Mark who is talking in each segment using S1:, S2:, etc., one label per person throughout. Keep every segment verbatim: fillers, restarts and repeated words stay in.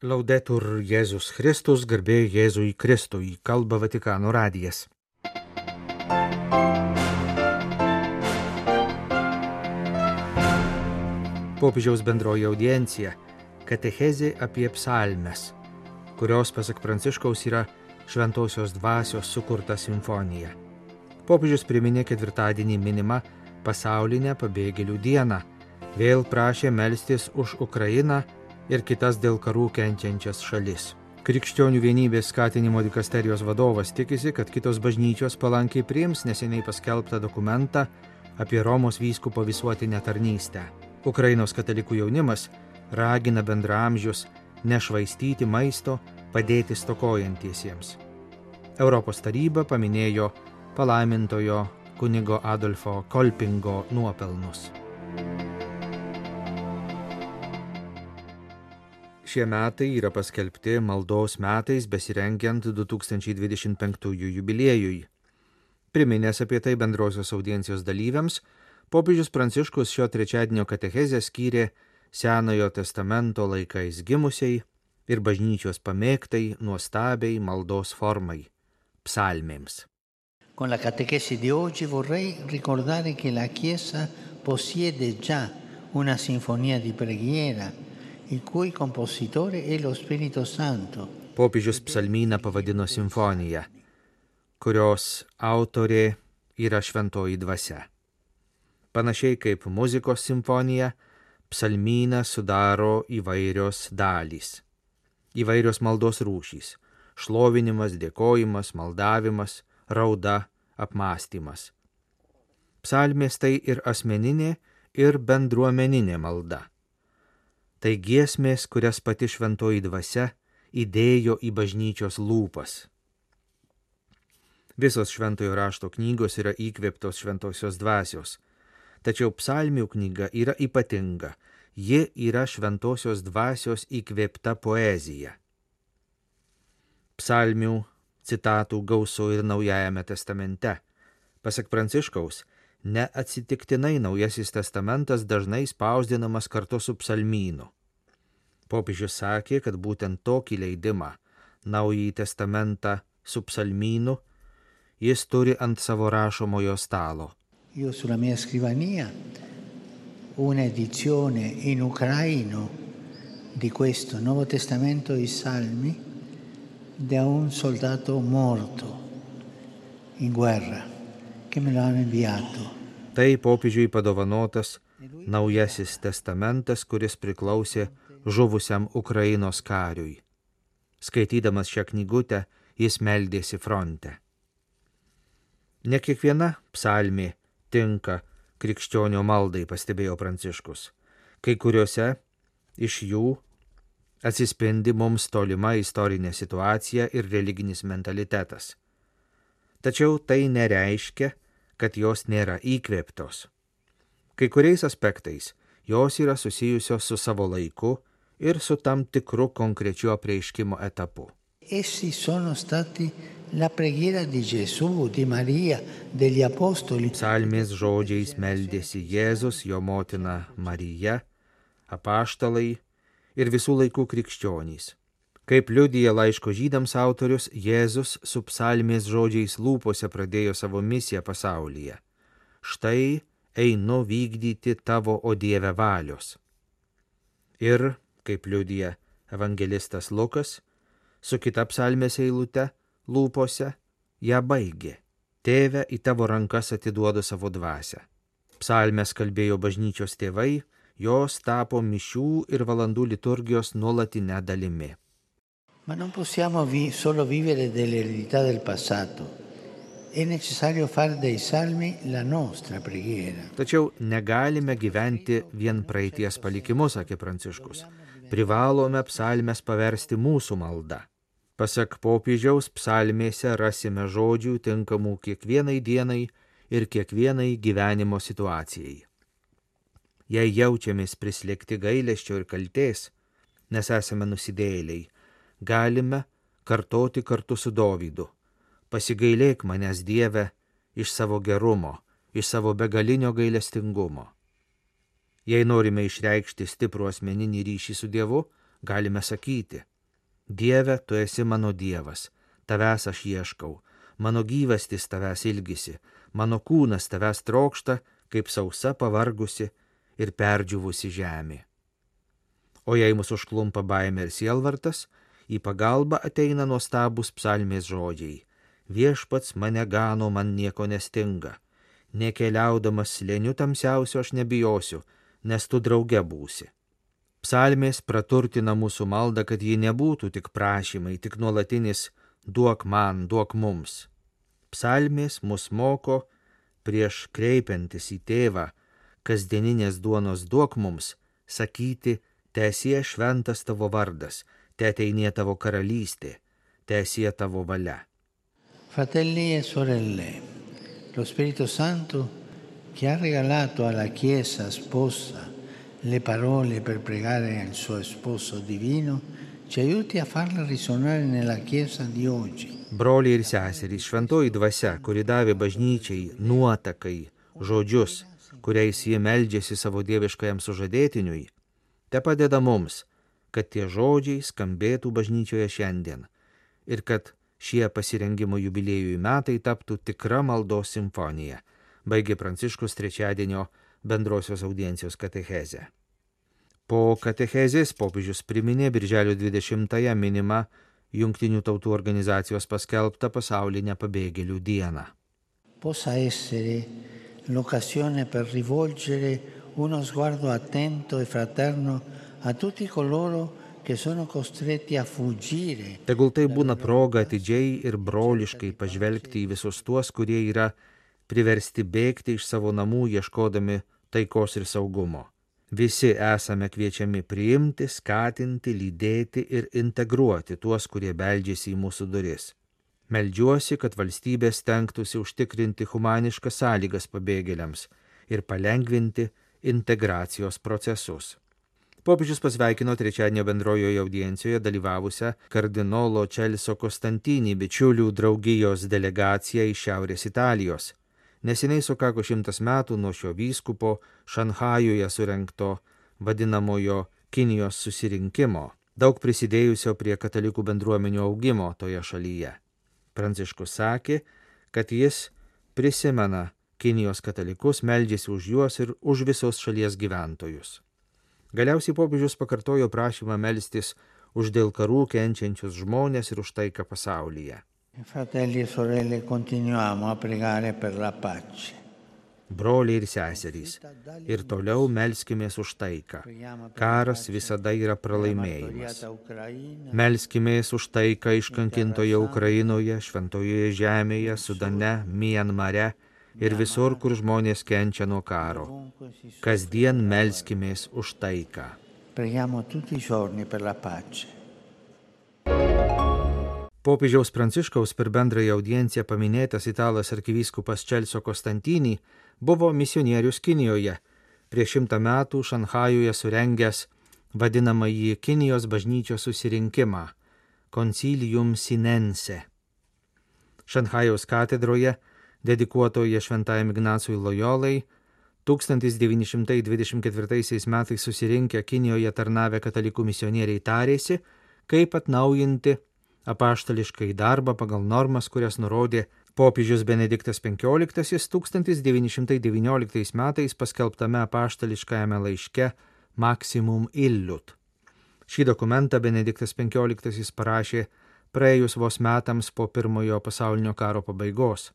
S1: Laudetur Jėzus Kristus, garbė Jėzui Kristui, kalba Vatikano radijas. Popiežiaus bendroji audiencija – katechezė apie psalmes, kurios, pasak Pranciškaus, yra šventosios dvasios sukurta simfonija. Popiežius priminė ketvirtadienį minimą pasaulinę pabėgėlių dieną, vėl prašė melstis už Ukrainą ir kitas dėl karų kenčiančias šalis. Krikščionių vienybės skatinimo dikasterijos vadovas tikisi, kad kitos bažnyčios palankiai priims neseniai paskelbtą dokumentą apie Romos vyskupo visuotinę tarnystę. Ukrainos katalikų jaunimas ragina bendraamžius nešvaistyti maisto, padėti stokojantiesiems. Europos taryba paminėjo palaimintojo kunigo Adolfo Kolpingo nuopelnus. Šie metai yra paskelbti maldos metais besirengiant du tūkstančiai dvidešimt penktųjų jubiliejui. Priminęs apie tai bendrosios audiencijos dalyviams, popiežius Pranciškus šio trečiadienio katechezę skyrė Senojo testamento laikais gimusiai ir bažnyčios pamėgtai nuostabiai maldos formai – psalmėms.
S2: Con la catechesi di oggi vorrei ricordare che la Chiesa possiede già una sinfonia di preghiera il cui compositore è lo Spirito Santo.
S1: Popiežius psalmyną pavadino simfonija, kurios autorė yra šventoji dvasia. Panašiai kaip muzikos simfonija, psalmyną sudaro įvairios dalys, įvairios maldos rūšys – šlovinimas, dėkojimas, maldavimas, rauda, apmąstymas. Psalmės tai ir asmeninė, ir bendruomeninė malda. Tai giesmės, kurias pati šventoji dvasia įdėjo į bažnyčios lūpas. Visos šventojo rašto knygos yra įkvėptos šventosios dvasios, tačiau psalmių knyga yra ypatinga, ji yra šventosios dvasios įkvėpta poezija. Psalmių citatų gausu ir Naujajame testamente. Pasak Pranciškaus, neatsitiktinai Naujasis testamentas dažnai spausdinamas kartu su psalmynu. Popiežius sakė, kad būtent tokį leidimą, Naująjį testamentą su psalmynu, jis turi ant savo rašomojo stalo.
S2: Io sulla mia scrivania una edizione in ucraino di questo Nuovo Testamento i Salmi da un soldato morto in guerra che me lo hanno inviato.
S1: Tai popiežiui padovanotas Naujasis testamentas, kuris priklausė žuvusiam Ukrainos kariui. Skaitydamas šią knygutę, jis meldėsi fronte. Ne kiekviena psalmė tinka krikščionio maldai, pastebėjo Pranciškus. Kai kuriuose iš jų atsispindi mums tolima istorinė situacija ir religinis mentalitetas. Tačiau tai nereiškia, kad jos nėra įkvėptos. Kai kuriais aspektais jos yra susijusios su savo laiku ir su tam tikru konkrečiu apreiškimo etapu.
S2: Essi sono stati la preghiera di Gesù, di Maria, degli apostoli.
S1: Psalmės žodžiais meldėsi Jėzus, jo motina Marija, apaštalai ir visų laikų krikščionys. Kaip liudija laiško žydams autorius, Jėzus su psalmės žodžiais lūpose pradėjo savo misiją pasaulyje. Štai einu vykdyti tavo, o Dieve, valios. Ir, kaip liudija evangelistas Lukas, su kita psalmės eilute lūpose ją baigė. Tėve, į tavo rankas atiduodu savo dvasią. Psalmės kalbėjo bažnyčios tėvai, jos tapo mišių ir valandų liturgijos nuolatinę dalimi.
S2: Ma non possiamo vi- solo vivere dell'eredità del passato. È necessario fare dei salmi la nostra preghiera.
S1: Tačiau negalime gyventi vien praeities palikimus, sakė Pranciškus. Privalome psalmes paversti mūsų malda. Pasak popiežiaus, psalmėse rasime žodžių tinkamų kiekvienai dienai ir kiekvienai gyvenimo situacijai. Jei jaučiamės prislėgti gailesčio ir kaltės, nes esame nusidėjėliai, galime kartoti kartu su Dovydu. Pasigailėk manęs, Dieve, iš savo gerumo, iš savo begalinio gailestingumo. Jei norime išreikšti stiprų asmeninį ryšį su Dievu, galime sakyti: Dieve, tu esi mano Dievas, tavęs aš ieškau, mano gyvastis tavęs ilgisi, mano kūnas tavęs trokšta, kaip sausa pavargusi ir perdžiuvusi žemė. O jei mus užklumpa baimė ir sielvartas, į pagalbą ateina nuostabūs psalmės žodžiai. Viešpats mane gano, man nieko nestinga. Nekeliaudamas slėniu tamsiausio aš nebijosiu, nes tu drauge būsi. Psalmės praturtina mūsų maldą, kad ji nebūtų tik prašymai, tik nuolatinis duok man, duok mums. Psalmės mus moko, prieš kreipiantis į tėvą, kasdieninės duonos duok mums, sakyti, teesie šventas tavo vardas, teateinie tavo karalystė, teesie tavo valia.
S2: Fratelli e sorelle, lo Spirito Santo che ha regalato alla Chiesa sposa le parole per pregare al suo sposo divino, ci aiuti a farle risuonare nella Chiesa di oggi.
S1: Broliai ir seserys, šventoji dvasia, kuri davė bažnyčiai nuotakai, žodžius, kuriais jie meldžiasi savo dieviškajam sužadėtiniui, te padeda mums, kad tie žodžiai skambėtų bažnyčioje šiandien ir kad šie pasirengimo jubiliejui metai taptų tikra maldos simfonija, baigė Pranciškus trečiadienio bendrosios audiencijos katechezę. Po katechezės popiežius priminė birželio dvidešimtąją minimą Jungtinių tautų organizacijos paskelbtą pasaulinę pabėgėlių dieną.
S2: Possa essere l'occasione per rivolgere uno sguardo attento e fraterno a tutti coloro che sono costretti a fuggire.
S1: Tegul tai būna proga atidžiai ir broliškai pažvelgti į visus tuos, kurie yra priversti bėgti iš savo namų ieškodami taikos ir saugumo. Visi esame kviečiami priimti, skatinti, lydėti ir integruoti tuos, kurie beldžiasi į mūsų duris. Meldžiuosi, kad valstybės stengtųsi užtikrinti humaniškas sąlygas pabėgėliams ir palengvinti integracijos procesus. Popiežius pasveikino trečiadienio bendrojoje audiencijoje dalyvavusią kardinolo Čelso Kostantinį bičiulių draugijos delegaciją iš Šiaurės Italijos. Neseniai sukako šimtas metų nuo šio vyskupo Šanchajuje surengto vadinamojo Kinijos susirinkimo, daug prisidėjusio prie katalikų bendruomenių augimo toje šalyje. Pranciškus sakė, kad jis prisimena Kinijos katalikus, meldžiasi už juos ir už visos šalies gyventojus. Galiausiai popiežius pakartojo prašymą melstis už dėl karų kenčiančius žmonės ir už taiką pasaulyje.
S2: Fratelli e sorelle, continuiamo a pregare per la pace.
S1: Broliai ir seserys, ir toliau melskimės už taiką. Karas visada yra pralaimėjimas. Melskimės už taiką iškankintoje Ukrainoje, Šventojoje žemėje, Sudane, Mianmare ir visur, kur žmonės kenčia nuo karo. Kasdien melskimės už taiką.
S2: Preghiamo tutti i giorni per la pace.
S1: Popiežiaus Pranciškaus per bendrąją audienciją paminėtas italas arkivyskupas Čelso Kostantinį buvo misionierius Kinijoje, prieš šimtą metų Šanchajuje surengęs vadinamąjį Kinijos bažnyčios susirinkimą Concilium Sinense. Šanchajaus katedroje, dedikuotoje šventajam Ignacui Lojolai, tūkstantis devyni šimtai dvidešimt ketvirtaisiais metais susirinkę Kinijoje tarnavę katalikų misionieriai tarėsi, kaip atnaujinti apaštališkai darbą pagal normas, kurias nurodė popiežius Benediktas penkioliktasis tūkstantis devyni šimtai devynioliktais metais paskelbtame apaštališkajame laiške Maximum Illud. Šį dokumentą Benediktas penkioliktasis parašė praėjus vos metams po pirmojo pasaulinio karo pabaigos.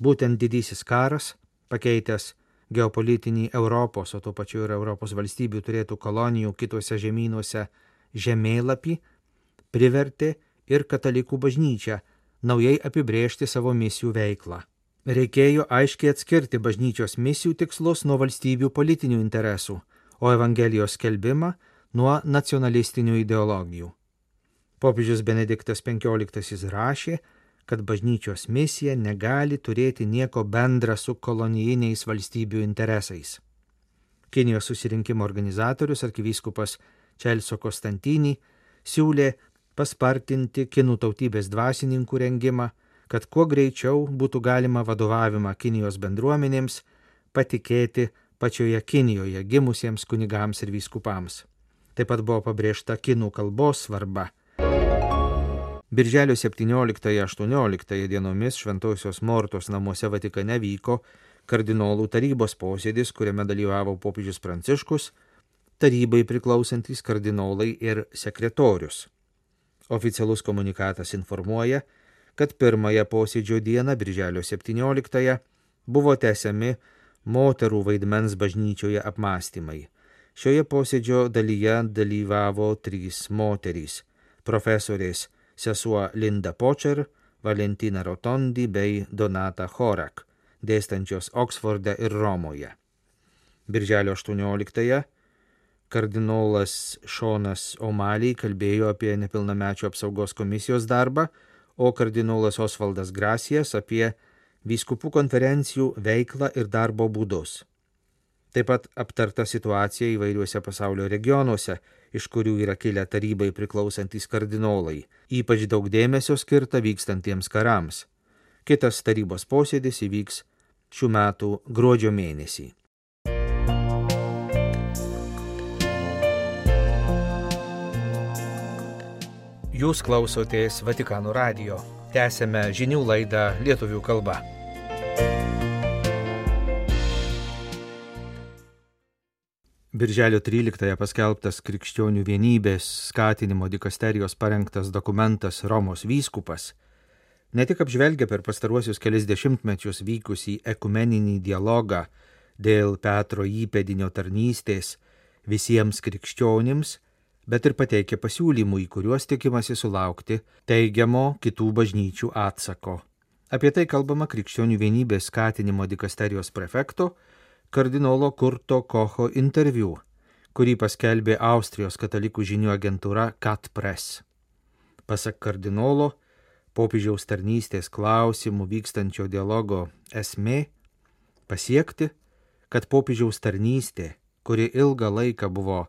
S1: Būtent didysis karas, pakeitęs geopolitinį Europos, o tuo pačiu ir Europos valstybių turėtų kolonijų kituose žemynuose žemėlapį, privertė ir katalikų bažnyčią naujai apibrėžti savo misijų veiklą. Reikėjo aiškiai atskirti bažnyčios misijų tikslus nuo valstybių politinių interesų, o Evangelijos skelbimą nuo nacionalistinių ideologijų. Popiežius Benediktas penkioliktasis rašė, kad bažnyčios misija negali turėti nieko bendra su kolonijiniais valstybių interesais. Kinijos susirinkimo organizatorius arkivyskupas Čelso Kostantinį siūlė paspartinti kinų tautybės dvasininkų rengimą, kad kuo greičiau būtų galima vadovavimą Kinijos bendruomenėms patikėti pačioje Kinijoje gimusiems kunigams ir vyskupams. Taip pat buvo pabrėžta kinų kalbos svarba. Birželio septynioliktąją-aštuonioliktąją dienomis Šventosios Mortos namuose Vatikane vyko kardinolų tarybos posėdis, kuriame dalyvavo popiežius Pranciškus, tarybai priklausantys kardinolai ir sekretorius. Oficialus komunikatas informuoja, kad pirmąją posėdžio dieną, birželio septynioliktąją, buvo tęsiami moterų vaidmens bažnyčioje apmąstymai. Šioje posėdžio dalyje dalyvavo trys moterys – profesorės sesuo Linda Počer, Valentina Rotondi bei Donata Horak, dėstančios Oksforde ir Romoje. Birželio aštuonioliktąją kardinolas Šonas O'Malley kalbėjo apie nepilnamečių apsaugos komisijos darbą, o kardinolas Osvaldas Gracijas apie vyskupų konferencijų veiklą ir darbo būdus. Taip pat aptarta situacija įvairiuose pasaulio regionuose, iš kurių yra kilę tarybai priklausantys kardinolai. Ypač daug dėmesio skirta vykstantiems karams. Kitas tarybos posėdis įvyks šių metų gruodžio mėnesį. Jūs klausotės Vatikano radijo. Tęsėme žinių laidą lietuvių kalba. Birželio tryliktąją paskelbtas krikščionių vienybės skatinimo dikasterijos parengtas dokumentas Romos vyskupas ne tik apžvelgia per pastaruosius kelis dešimtmečius vykusį ekumeninį dialogą dėl Petro įpėdinio tarnystės visiems krikščionims, bet ir pateikia pasiūlymų, į kuriuos tikimasi sulaukti teigiamo kitų bažnyčių atsako. Apie tai kalbama krikščionių vienybės skatinimo dikasterijos prefekto kardinolo Kurto Kocho interviu, kurį paskelbė Austrijos katalikų žinių agentūra Cat Press. Pasak kardinolo, popiežiaus tarnystės klausimų vykstančio dialogo esmė pasiekti, kad popiežiaus tarnystė, kuri ilgą laiką buvo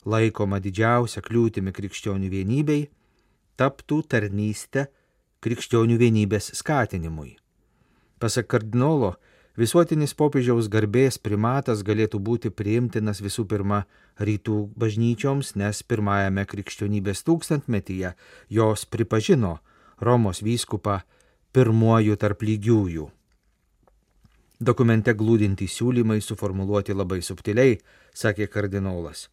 S1: laikoma didžiausia kliūtimi krikščionių vienybei, taptų tarnystę krikščionių vienybės skatinimui. Pasak kardinolo, visuotinis popiežiaus garbės primatas galėtų būti priimtinas visų pirma rytų bažnyčioms, nes pirmajame krikščionybės tūkstantmetyje jos pripažino Romos vyskupą pirmuoju tarp lygiųjų. Dokumente glūdintys siūlymai suformuluoti labai subtiliai, sakė kardinolas.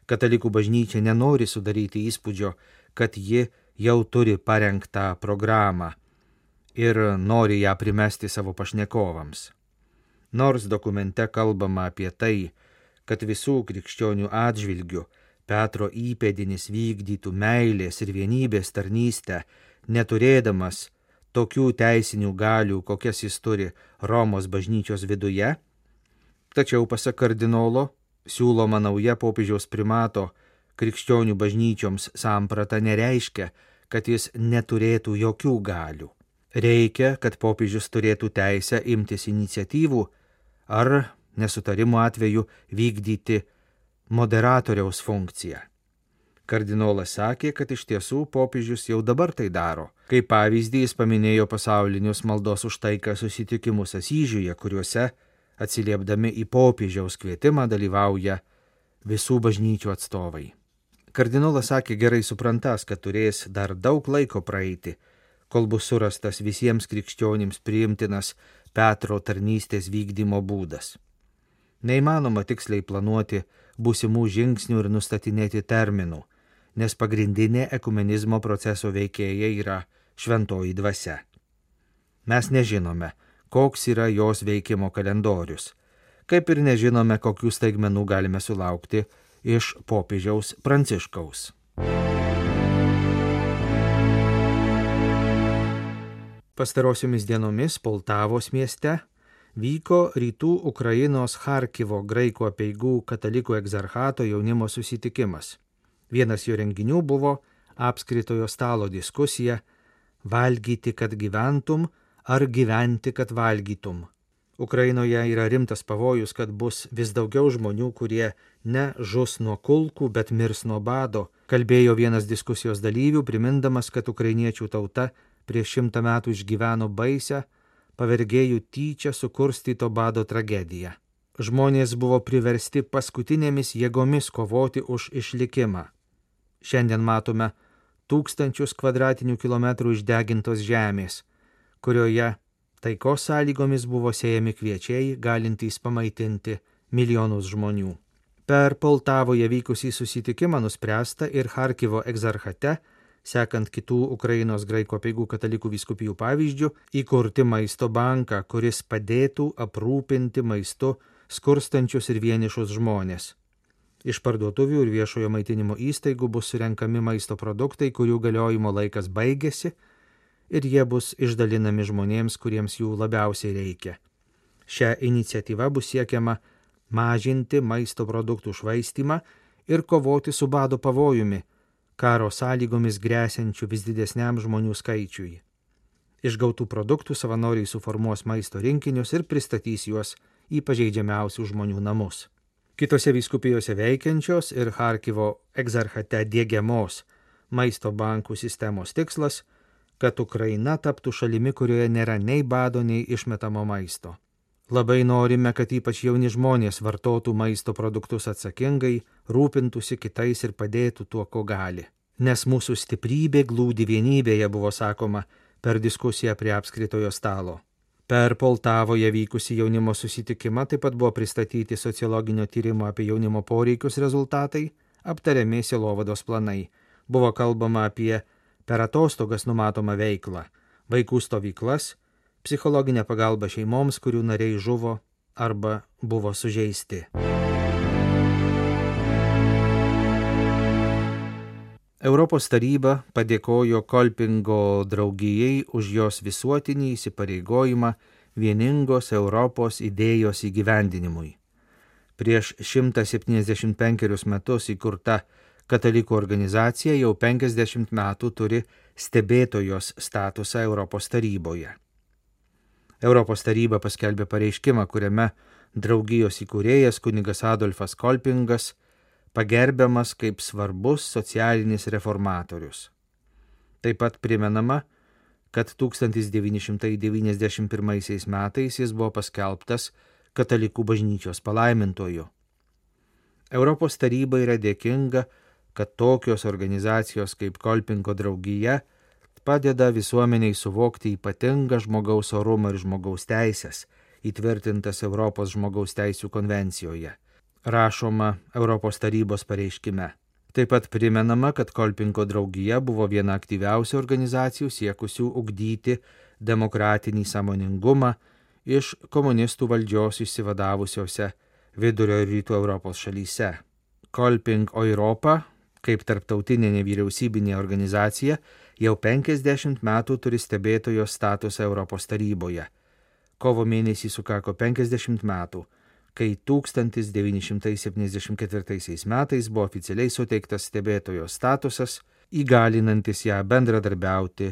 S1: Katalikų bažnyčia nenori sudaryti įspūdžio, kad ji jau turi parengtą programą ir nori ją primesti savo pašnekovams. Nors dokumente kalbama apie tai, kad visų krikščionių atžvilgių Petro įpėdinis vykdytų meilės ir vienybės tarnystę, neturėdamas tokių teisinių galių, kokias jis turi Romos bažnyčios viduje, tačiau pasak kardinolo, siūloma nauja popiežiaus primato krikščionių bažnyčioms samprata nereiškia, kad jis neturėtų jokių galių. Reikia, kad popiežius turėtų teisę imtis iniciatyvų ar nesutarimo atveju vykdyti moderatoriaus funkciją. Kardinolas sakė, kad iš tiesų popiežius jau dabar tai daro. Kaip pavyzdį jis paminėjo pasaulinius maldos už taiką susitikimus Asyžiuje, kuriuose atsiliepdami į popiežiaus kvietimą dalyvauja visų bažnyčių atstovai. Kardinolas sakė gerai suprantas, kad turės dar daug laiko praeiti, kol bus surastas visiems krikščionims priimtinas Petro tarnystės vykdymo būdas. Neįmanoma tiksliai planuoti būsimų žingsnių ir nustatinėti terminų, nes pagrindinė ekumenizmo proceso veikėja yra šventoji dvasia. Mes nežinome, koks yra jos veikimo kalendorius, kaip ir nežinome, kokių staigmenų galime sulaukti iš popiežiaus Pranciškaus. Pastarosiomis dienomis Poltavos mieste vyko rytų Ukrainos Charkivo graikų apeigų katalikų egzarchato jaunimo susitikimas. Vienas jo renginių buvo apskritojo stalo diskusija valgyti, kad gyventum, ar gyventi, kad valgytum. Ukrainoje yra rimtas pavojus, kad bus vis daugiau žmonių, kurie ne žus nuo kulkų, bet mirs nuo bado, kalbėjo vienas diskusijos dalyvių, primindamas, kad ukrainiečių tauta prieš šimtą metų išgyveno baisią, pavergėjų tyčia sukurstyto bado tragediją. Žmonės buvo priversti paskutinėmis jėgomis kovoti už išlikimą. Šiandien matome tūkstančius kvadratinių kilometrų išdegintos žemės, kurioje taikos sąlygomis buvo sėjami kviečiai, galintys pamaitinti milijonus žmonių. Per Poltavoje vykusį susitikimą nuspręsta ir Charkivo egzarchate, sekant kitų Ukrainos graikų apeigų katalikų vyskupijų pavyzdžių, įkurti maisto banką, kuris padėtų aprūpinti maistu skurstančius ir vienišus žmonės. Iš parduotuvių ir viešojo maitinimo įstaigų bus surenkami maisto produktai, kurių galiojimo laikas baigėsi, ir jie bus išdalinami žmonėms, kuriems jų labiausiai reikia. Šią iniciatyvą bus siekiama mažinti maisto produktų švaistymą ir kovoti su bado pavojumi, karo sąlygomis gresiančių vis didesniam žmonių skaičiui. Iš gautų produktų savanoriai suformuos maisto rinkinius ir pristatys juos į pažeidžiamiausių žmonių namus. Kitose vyskupijose veikiančios ir Charkivo egzarchate diegiamos maisto bankų sistemos tikslas, kad Ukraina taptų šalimi, kurioje nėra nei bado, nei išmetamo maisto. Labai norime, kad ypač jauni žmonės vartotų maisto produktus atsakingai, rūpintųsi kitais ir padėtų tuo, ko gali. Nes mūsų stiprybė glūdi vienybėje, buvo sakoma per diskusiją prie apskritojo stalo. Per Poltavoje vykusį jaunimo susitikimą taip pat buvo pristatyti sociologinio tyrimo apie jaunimo poreikius rezultatai, aptariami sielovados planai. Buvo kalbama apie per atostogas numatomą veiklą, vaikų stovyklas, psichologinę pagalbą šeimoms, kurių nariai žuvo arba buvo sužeisti. Europos taryba padėkojo Kolpingo draugijai už jos visuotinį įsipareigojimą vieningos Europos idėjos įgyvendinimui. Prieš šimtą septyniasdešimt penkerius metus įkurta katalikų organizacija jau penkiasdešimt metų turi stebėtojos statusą Europos taryboje. Europos taryba paskelbė pareiškimą, kuriame draugijos įkūrėjas kunigas Adolfas Kolpingas pagerbiamas kaip svarbus socialinis reformatorius. Taip pat primenama, kad tūkstantis devyni šimtai devyniasdešimt pirmaisiais metais jis buvo paskelbtas katalikų bažnyčios palaimintoju. Europos taryba yra dėkinga, kad tokios organizacijos kaip Kolpingo draugija padeda visuomeniai suvokti ypatingą žmogaus orumą ir žmogaus teisės, įtvirtintas Europos žmogaus teisių konvencijoje. Rašoma Europos tarybos pareiškime. Taip pat primenama, kad Kolpingo draugija buvo viena aktyviausių organizacijų siekusių ugdyti demokratinį sąmoningumą iš komunistų valdžios išsivadavusiose vidurio ir rytų Europos šalyse. Kolping Europa, kaip tarptautinė nevyriausybinė organizacija, jau penkiasdešimt metų turi stebėtojos statusą Europos taryboje. Kovo mėnesį sukako penkiasdešimt metų, kai tūkstantis devyni šimtai septyniasdešimt ketvirtaisiais metais buvo oficialiai suteiktas stebėtojos statusas, įgalinantis ją bendradarbiauti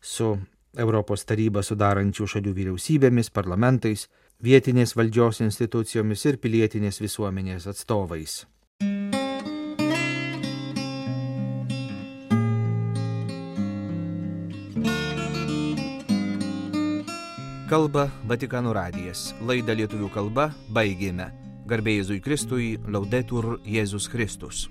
S1: su Europos tarybą sudarančių šalių vyriausybėmis, parlamentais, vietinės valdžios institucijomis ir pilietinės visuomenės atstovais. Kalba Vatikano radijas. Laidą lietuvių kalba baigėme. Garbė Jėzui Kristui, Laudetur Jėzus Kristus.